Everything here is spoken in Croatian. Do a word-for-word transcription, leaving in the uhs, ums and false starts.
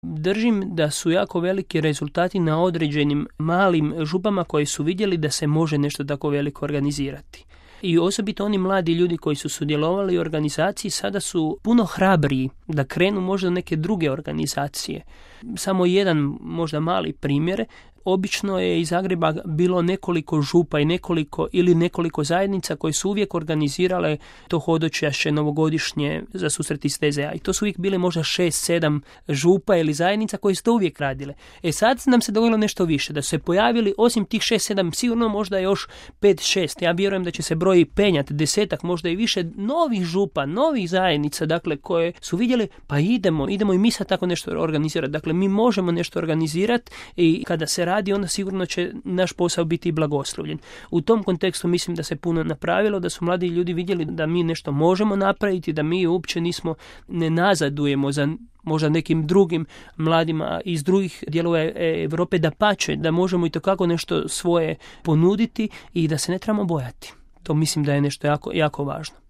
Držim da su jako veliki rezultati na određenim malim župama koji su vidjeli da se može nešto tako veliko organizirati. I osobito oni mladi ljudi koji su sudjelovali u organizaciji sada su puno hrabriji da krenu možda neke druge organizacije. Samo jedan možda mali primjer. Obično je iz Zagreba bilo nekoliko župa i nekoliko ili nekoliko zajednica koje su uvijek organizirale to hodočašće novogodišnje za susret iz T Z A. I to su uvijek bile možda šest, sedam župa ili zajednica koje su to uvijek radile. E sad nam se dogodilo nešto više, da su se pojavili osim tih šest, sedam, sigurno možda još pet, šest. Ja vjerujem da će se broj penjati, desetak, možda i više novih župa, novih zajednica, dakle, koje su vidjeli, pa idemo, idemo i mi sad tako nešto organizirati. Dakle, mi možemo nešto organizirati i kada se radi, onda sigurno će naš posao biti blagoslovljen. U tom kontekstu mislim da se puno napravilo, da su mladi ljudi vidjeli da mi nešto možemo napraviti, da mi uopće nismo, ne nazadujemo za možda nekim drugim mladima iz drugih dijelova Europe, da pače, da možemo i to kako nešto svoje ponuditi i da se ne trebamo bojati. To mislim da je nešto jako, jako važno.